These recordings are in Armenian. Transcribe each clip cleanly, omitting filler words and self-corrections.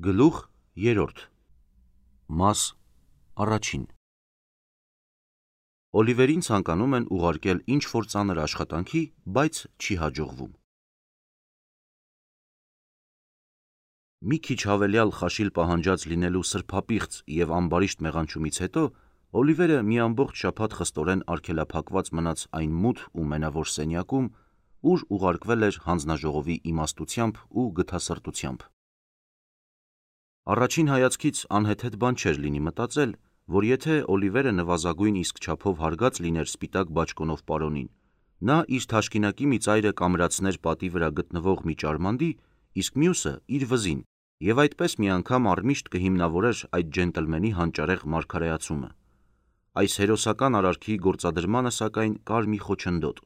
Գլուխ 3 Մաս առաջին Օլիվերին ցանկանում են ուղարկել ինչ-որ ծանր աշխատանքի, բայց չի հաջողվում։ Մի քիչ հավելյալ խաշիլ պահանջած լինելու սրբապիղծ և ամբարիշտ մեղանչումից հետո Օլիվերը մի ամբողջ շաբաթ խստորեն արգելափակված մնաց այն մութ ու մենավոր սենյակում, ուր ուղարկվել էր հանձնաժողովի իմաստությամբ ու գթասրտությամբ։ Առաջին հայացքից անհեթեթ բան չէր լինի մտածել, որ եթե Օլիվերը նվազագույն իսկ չափով հարգած լիներ սպիտակ բաճկոնով պարոնին, նա իր թաշկինակի մի ծայրը կամրացներ պատի վրա գտնվող մի ճարմանդի, իսկ մյուսը իր վզին, և այդպես մի անգամ առմիշտ կհիմնավորեր այդ ջենտլմենի հանճարեղ մարգարեացումը։ Այս հերոսական արարքի գործադրմանը սակայն կար մի խոչընդոտ։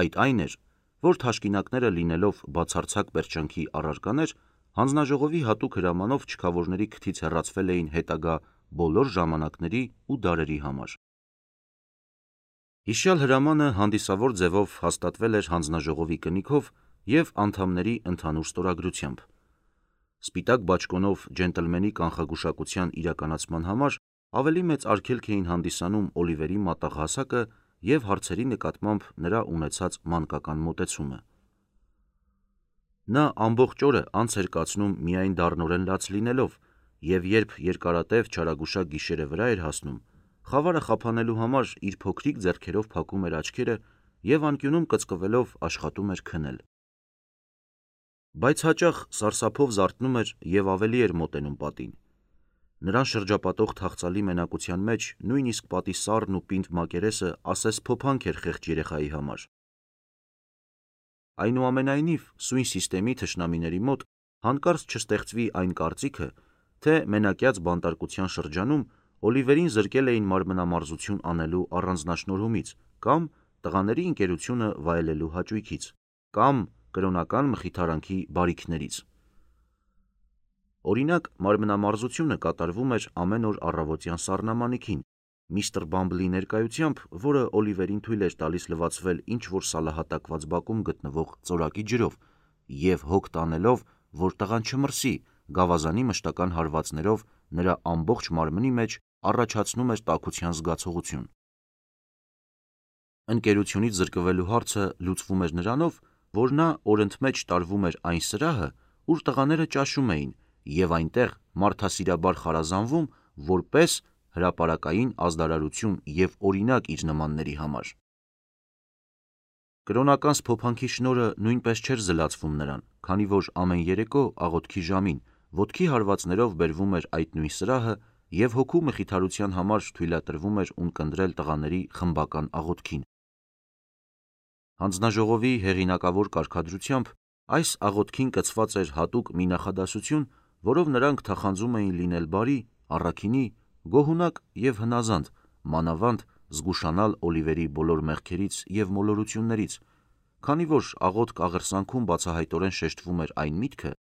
Այդ այն էր, որ թաշկինակները լինելով բացարձակ պերճանքի առարկաներ, հանձնաժողովի հատուկ հրամանով չքավորների քթից հեռացվել էին հետագա բոլոր ժամանակների ու դարերի համար։ Հիշյալ հրամանը հանդիսավոր ձևով հաստատվել էր հանձնաժողովի կնիքով և անդամների ընդհանուր ստորագրությամբ։ Սպիտակ բաճկոնով ջենտլմենի կանխագուշակության իրականացման համար ավելի մեծ արգելք էին հանդիսանում Օլիվերի մատաղ հասակը և հարցերի նկատմամբ նրա ունեցած մանկական մոտեցումը։ Նա ամբողջ օրը անց էր կացնում միայն դառնորեն լաց լինելով, և երբ երկարատև չարագուշակ գիշերը վրա էր հասնում, խավարը խափանելու համար իր փոքրիկ ձեռքերով փակում էր աչքերը և անկյունում կծկվելով աշխատում էր քնել։ Բայց հաճախ սարսափով զարթնում էր և ավելի էր մոտենում պատին։ Նրան շրջապատող թախծալի մենակության մեջ նույնիսկ պատի սառն ու պինդ մակերեսը ասես փոփանք էր խեղճ երեխայի համար։ Այնուամենայնիվ, սույն սիստեմի թշնամիների մոտ հանկարծ չստեղծվի այն կարծիքը, թե մենակյաց բանտարկության շրջանում Օլիվերին զրկել էին մարմնամարզություն անելու առանձնաշնորհումից կամ տղաների ընկերությունը վայելելու հաճույքից, կամ կրոնական մխիթարանքի բարիքներից։ Օրինակ, մարմնամարզությունը կատարվում էր ամեն օր առավոտյան սառնամանիքին, միստր Բամբլի ներկայությամբ, որը Օլիվերին թույլ էր տալիս լվացվել ինչ-որ սալահատակված բակում գտնվող ծորակի ջրով և հոգ տանելով, որ տղան չմրսի, գավազանի մշտական հարվածներով նրա ամբողջ մարմնի մեջ առաջացնում էր տաքության զգացողություն։ Ընկերությունից զրկվելու հարցը լուծվում էր նրանով, որ նա օրընդմեջ տարվում էր այն սրահը, ուր տղաները ճաշում էին, և այնտեղ մարդասիրաբար խարազանվում որպես հրապարակային ազդարարություն և օրինակ իր նմանների համար։ Կրոնական սփոփանքի շնորհը նույնպես չէր զլացվում նրան, քանի որ ամեն երեկո աղոթքի ժամին ոտքի հարվածներով բերվում էր այդ նույն սրահը և հոգու մխիթարության համար թույլատրվում էր ունկնդրել տղաների խմբական աղոթքին։ Հանձնաժողովի հեղինակավոր կարգադրությամբ այս աղոթքին կցված էր հատուկ մի նախադասություն, որով նրանք թախանձում էին լինել բարի, առաքինի, գոհունակ և հնազանդ, մանավանդ զգուշանալ Օլիվերի բոլոր մեղքերից և մոլորություններից, քանի որ աղոթք աղերսանքում բացահայտորեն շեշտվում էր այն միտքը,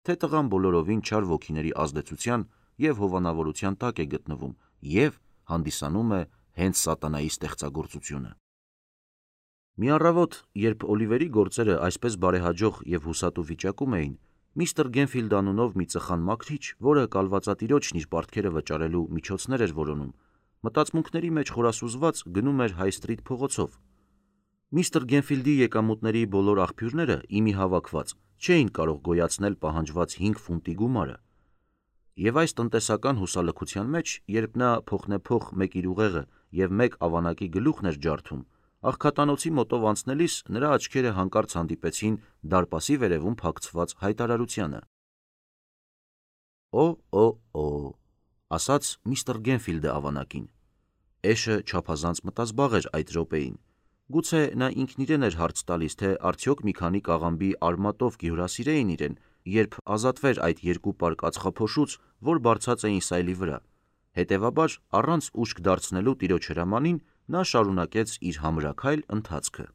թե տղան բոլորովին չար ոգիների ազդեցության և հովանավորության տակ է գտնվում և հանդիսանում է հենց սատանայի ստեղծագործությունը։ Մի առավոտ, երբ Օլիվերի գործերը այսպես բարեհաջող և հուսատու վիճակում էին, միստր Գենֆիլդ անունով մի ծխան մաքրիչ, որը կալվածատիրոջն իր պարտքերը վճարելու միջոցներ էր որոնում, մտածմունքների մեջ խորասուզված գնում էր Հայ Սթրիթ փողոցով։ Միստր Գենֆիլդի եկամուտների բոլոր աղբյուրները, ի մի հավաքված, չէին կարող գոյացնել պահանջված 5 ֆունտի գումարը։ Եվ այս տնտեսական հուսալքության մեջ, երբ նա փոխնեպոխ մեկ իր ուղեղը և մեկ ավանակի գլուխն էր ջարդում, աղքատանոցի մոտով անցնելիս նրա աչքերը հանկարծ հանդիպեցին դարպասի վերևում փակցված հայտարարությանը։ «Օ, ասաց միստր Գենֆիլդը ավանակին։ Էշը չափազանց մտազբաղ էր այդ րոպեին։ Գուցե նա ինքն իրեն էր հարց տալիս, թե արդյոք մի քանի կաղամբի արմատով կհյուրասիրեին իրեն, երբ ազատվեր այդ երկու պար կացխափոշուց, որ բարձած էին սայլի վրա։ Հետևաբար, առանց ուշք դարձնելու տիրոջ հրամանին, նա շարունակեց իր համրաքայլ ընթացքը»։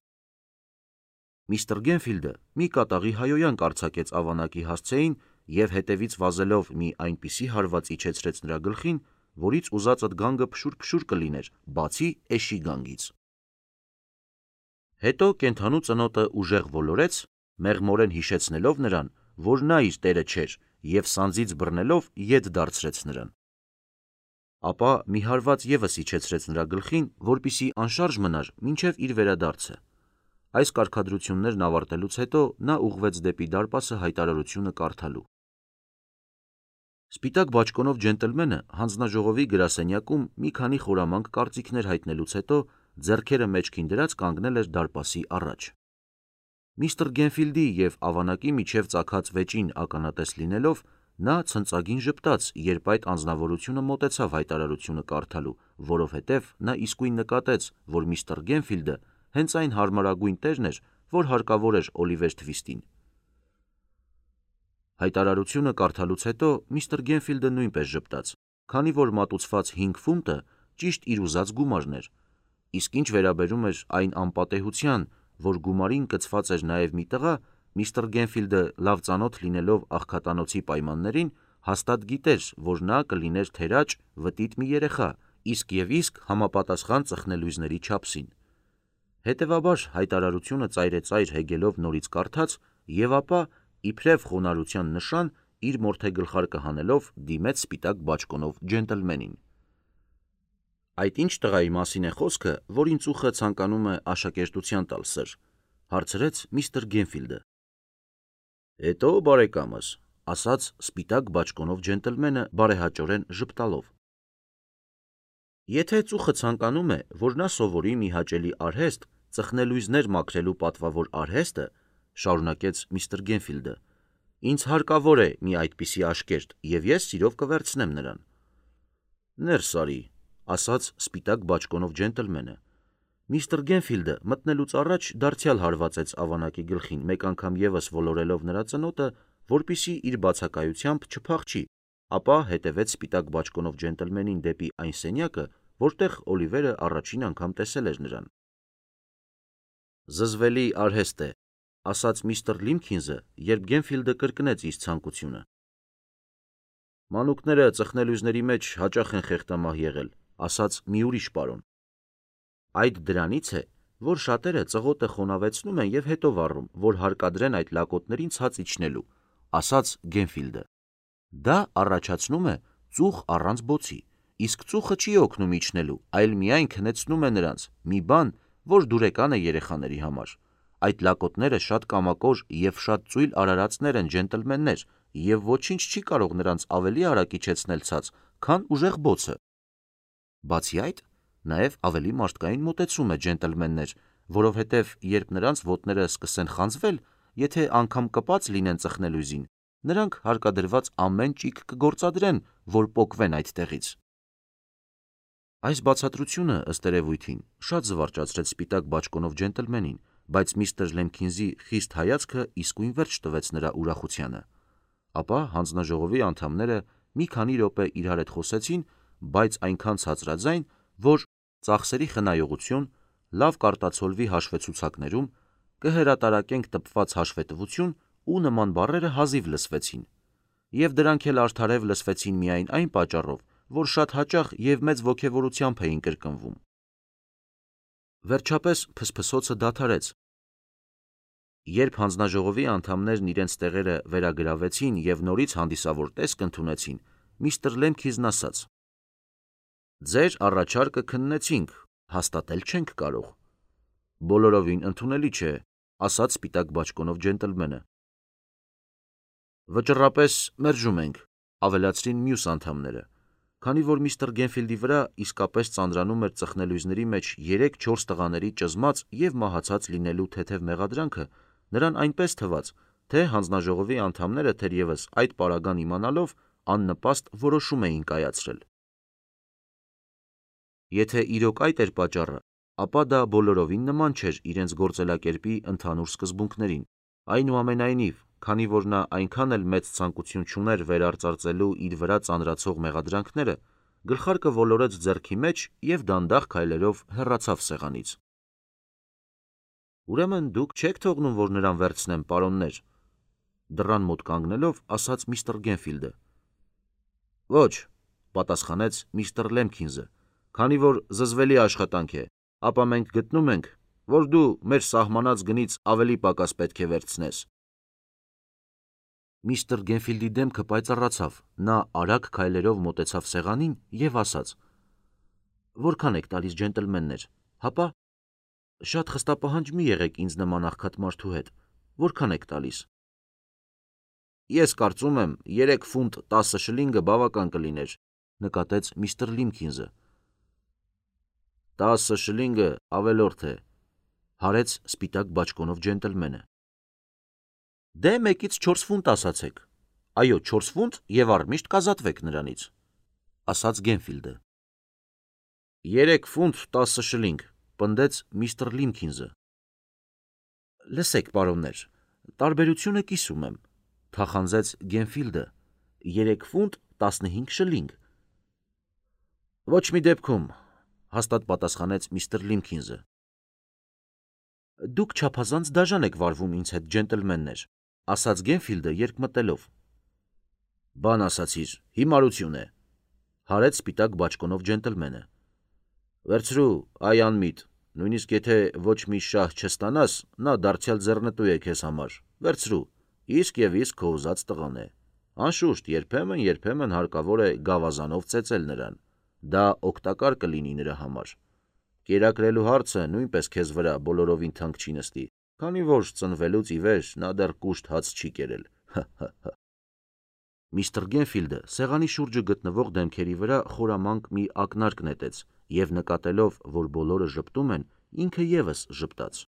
Միստր Գենֆիլդը մի կատաղի հայհոյանք արձակեց ավանակի հասցեին և հետևից վազելով մի այնպիսի հարված իջեցրեց նրա գլխին, որից ուզածդ գանգը փշուր-փշուր կլիներ, բացի էշի գանգից։ Հետո կենդանու ծնոտը ուժեղ ոլորեց, մեղմորեն հիշեցնելով նրան, որ նա իր տերը չէր և սանձից բռնելով ետ դարձրեց նրան։ Ապա մի հարված ևս իջեցրեց նրա գլխին, որպեսզի անշարժ մնար մինչև իր վերադարձը։ Այս կարգադրություններն ավարտելուց հետո նա ուղղվեց դեպի դարպասը հայտարարությունը կարդալու։ Սպիտակ բաճկոնով ջենտլմենը հանձնաժողովի գրասենյակում մի քանի խորամանկ կարծիքներ հայտնելուց հետո ձեռքերը մեջքին դրած կանգնել էր դարպասի առաջ։ Միսթր Գենֆիլդի և ավանակի միջև ծագած վեճին ականատես լինելով, նա ցնծագին ժպտաց, երբ այդ անձնավորությունը մոտեցավ հայտարարությունը կարդալու, որովհետև նա իսկույն նկատեց, որ միսթր Գենֆիլդը հենց այն հարմարագույն տերն էր, որ հարկավոր էր Օլիվեր Թվիստին։ Հայտարարությունը կարդալուց հետո միսթր Գենֆիլդը նույնպես ժպտաց, քանի որ մատուցված 5 ֆունտը ճիշտ իր ուզած գումարն էր, իսկ ինչ վերաբերում էր այն անպատեհության, որ գումարին կցված էր նաև մի տղա, միսթր Գենֆիլդը լավ ծանոթ լինելով աղքատանոցի պայմաններին, հաստատ գիտեր, որ նա կլիներ թերաճ, վտիտ մի երեխա, իսկ համապատասխան ծխնելույզների չափսին։ Հետևաբար հայտարարությունը ծայրեծայր հեգելով նորից կարդաց և ապա, իբրև խոնարհության նշան, իր մորթեգլխարկը հանելով դիմեց սպիտակ բաճկոնով ջենտլմենին։ Այդ ինչ տղայի մասին է խոսքը, որին ծուխը ցանկանում է աշակերտության տալ, սըր, հարցրեց միսթր Գենֆիլդը։ Հետո բարեկամս, ասաց սպիտակ բաճկոնով ջենտլմենը բարեհաճորեն ժպտալով։ Եթե ծուխը ցանկանում է, որ նա սովորի մի հաճելի արհեստ, ծխնելույզներ մաքրելու պատվավոր արհեստը, շարունակեց միսթր Գենֆիլդը, ինձ հարկավոր է մի այդպիսի աշկերտ, և ես սիրով կվերցնեմ նրան։ Ներս արի, ասաց սպիտակ բաճկոնով ջենտլմենը։ Միսթր Գենֆիլդը մտնելուց առաջ դարձյալ հարվածեց ավանակի գլխին մեկ անգամ ևս ոլորելով նրա ծնոտը, որպեսզի իր բացակայությամբ չփախչի, ապա հետևեց սպիտակ բաճկոնով ջենտլմենին դեպի այն սենյակը, որտեղ Օլիվերը առաջին անգամ տեսել էր նրան։ Զզվելի արհեստ է, ասաց միսթր Լիմքինզը, երբ Գենֆիլդը կրկնեց իր ցանկությունը։ Մանուկները ծխնելույզների մեջ հաճախ են խեղդամահ եղել, ասաց մի ուրիշ պարոն։ Այդ դրանից է, որ շատերը ծղոտը խոնավեցնում են և հետո վառում, որ հարկադրեն այդ լակոտներին ցած իջնելու, ասաց Գենֆիլդը։ Դա առաջացնում է ծուխ առանց բոցի, իսկ ծուխը չի օգնում իջնելու, այլ միայն քնեցնում է նրանց, մի բան, որ դուրեկան է երեխաների համար։ Այդ լակոտները շատ կամակոր և շատ ծույլ արարածներ են, ջենտլմեններ, և ոչինչ չի կարող նրանց ավելի արագ իջեցնել ցած, քան ուժեղ բոցը։ Բացի այդ, նաև ավելի մարդկային մոտեցում է, ջենտլմեններ, որովհետև երբ նրանց ոտները սկսեն խանձվել, եթե անգամ կպած լինեն ծխնելույզին, նրանք հարկադրված ամեն ճիգ կգործադրեն, որ պոկվեն այդտեղից։ Այս բացատրությունը, ըստ երևույթին, շատ զվարճացրեց սպիտակ բաճկոնով ջենտլմենին, բայց միսթր Լեմքինզի խիստ հայացքը իսկույն վերջ տվեց նրա ուրախությանը։ Ապա հանձնաժողովի անդամները մի քանի րոպե իրար հետ խոսեցին, բայց այնքան ցածրաձայն, որ ծախսերի խնայողություն, լավ կարտացոլվի հաշվեցուցակներում, կհրատարակենք տպված հաշվետվություն ու նման բառերը հազիվ լսվեցին, և դրանք էլ արդարև լսվեցին միայն այն պատճառով, որ շատ հաճախ և մեծ ոգևորությամբ էին կրկնվում։ Վերջապես փսփսոցը դադարեց։ Երբ հանձնաժողովի անդամներն իրենց տեղերը վերագրավեցին և նորից հանդիսավոր տեսք ընդունեցին, միսթր Լեմքինզն ասաց. Ձեր առաջարկը քննեցինք, հաստատել չենք կարող։ Բոլորովին ընդունելի չէ, ասաց սպիտակ բաճկոնով ջենտլմենը։ Վճռապես մերժում ենք, ավելացրին մյուս անդամները, քանի որ միսթր Գենֆիլդի վրա իսկապես ծանրանում էր ծխնելույզների մեջ 3-4 տղաների ճզմած և մահացած լինելու թեթև մեղադրանքը, նրան այնպես թվաց, թե հանձնաժողովի անդամները թերևս այդ պարագան իմանալով աննպաստ որոշում էին կայացրել։ Եթե իրոք այդ էր պատճառը, ապա դա բոլորովին նման չէր իրենց գործելակերպի ընդհանուր սկզբունքներին։ Այնուամենայնիվ, քանի որ նա այնքան էլ մեծ ցանկություն չուներ վերարծարծելու իր վրա ծանրացող մեղադրանքները, գլխարկը ոլորեց ձեռքի մեջ և դանդաղ քայլերով հեռացավ սեղանից։ Ուրեմն դուք չեք թողնում, որ նրան վերցնեմ, պարոններ, դռան մոտ կանգնելով, ասաց միսթր Գենֆիլդը։ Ոչ, պատասխանեց միսթր Լեմքինզը, քանի որ զզվելի աշխատանք է, ապա մենք գտնում ենք, որ դու մեր սահմանած գնից ավելի պակաս պետք է վերցնես։ Միստր Գենֆիլդի դեմքը պայծառացավ, նա արագ քայլերով մոտեցավ սեղանին և ասաց. «Որքան եք տալիս, ջենտլմեններ, հապա, շատ խստապահանջ մի եղեք ինձ նման աղքատ մարդու հետ, որքան եք տալիս»։ «Ես կարծում եմ 3 ֆունտ 10 շլինգը բավական կլիներ», նկատեց միստր Լիմքինզը։ 10 շլինգը ավելորդ է, հարեց սպիտակ բաճկոնով ջենտլմենը։ Դե 1-ից 4 ֆունտ ասացեք, այո 4 ֆունտ և առմիշտ կազատվեք նրանից, ասաց Գենֆիլդը։ 3 ֆունտ 10 շլինգ, պնդեց միստր Լիմքինզը։ Լսեք, պարոններ, տարբերությունը կիսում եմ, թախանձեց Գենֆիլդը, 3 ֆունտ 15 շլինգ։ Ոչ մի դեպքում, հաստատ պատասխանեց միստր Լիմքինզը։ Դուք չափազանց դաժան եք վարվում ինձ հետ, ջենտլմեններ, ասաց Գենֆիլդը երկմտելով։ Բան ասացիր, հիմարություն է, հարեց սպիտակ բաճկոնով ջենտլմենը։ Վերցրու, այ անմիտ, նույնիսկ եթե ոչ մի շահ չստանաս, նա դարձյալ ձեռնտու է քեզ համար, վերցրու, իսկ և իսկ քո ուզած տղան է։ Անշուշտ, երբեմն հարկավոր է գավազանով ծեծել նրան, դա օգտակար կլինի նրա համար։ Կերակրելու հարցը նույնպես քեզ վրա բոլորովին թանկ չի նստի, քանի որ ծնվելուց ի վեր նա դեռ կուշտ հաց չի կերել։ Միստր Գենֆիլդը սեղանի շուրջը գտնվող դեմքերի վրա խորամանկ մի ակնարկ նետեց և նկատելով, որ բոլորը ժպտում են, ինքը ևս ժպտաց։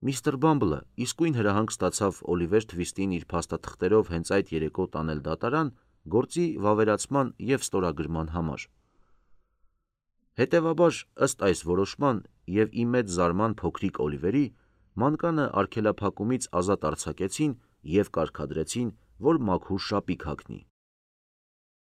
Միստր Բամբլը իսկույն հրահանգ ստացավ Օլիվեր Թվիստին իր փաստաթղթերով հենց այդ երեկո տանել դատարան գործի վավերացման և ստորագրման համար։ Հետևաբար, ըստ այս որոշման և ի մեծ զարման փոքրիկ Օլիվերի, մանկանը արգելափակումից ազատ արձակեցին և կարգադրեցին, որ մաքուր շապիկ հագնի։